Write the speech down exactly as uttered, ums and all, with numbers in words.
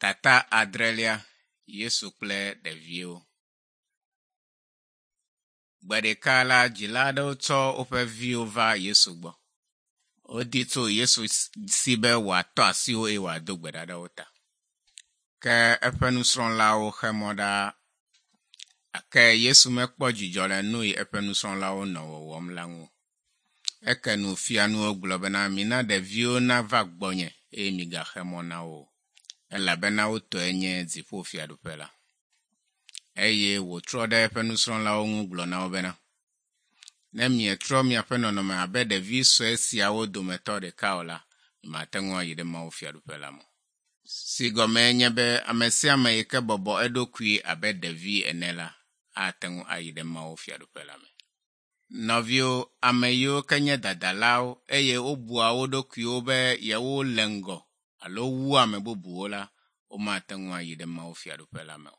Tata adrelia Yesu kple ɖeviwo. Gbe ɖeka la, dzila aɖewo tsɔ woƒe viwo va Yesu gbɔ. Wodi tso Yesu si be wòatɔ asi wo eye wòado gbe ɖa ɖe wo ta. Ke eƒe nusrɔ̃lawo xe mɔ ɖa gake Yesu mekpɔ dzidzɔ le nu yi eƒe nusrɔ̃lawo nɔ wɔwɔm la ŋu o. Eke nu fia nu wo gblɔ bena mina ɖeviwo nava gbɔnye eye migaxe mɔ na wo o elabena wo tɔe nye dziƒofiaɖuƒe la. Eye wòtrɔ ɖe eƒe nusrɔ̃lawo ŋu gblɔ na wo bena, ne mietrɔ miaƒe nɔnɔme abe ɖevi sue siawo dometɔ ɖeka o la, mate ŋu ayi ɖe Mawu fiaɖuƒe la me. Si gɔmee nye be ame sia ame yi ke bɔbɔ eɖokui abe ɖevi ene la, ate ŋu ayi ɖe Mawu fiaɖuƒe la me. Nɔviwo, ame yiwo ke nye dadalawo eye wobua wo ɖokuiwo be yewo le ŋgɔ alo wu ame bubuwo la, womate ŋu ayi ɖe Mawu fiaɖuƒe la me o.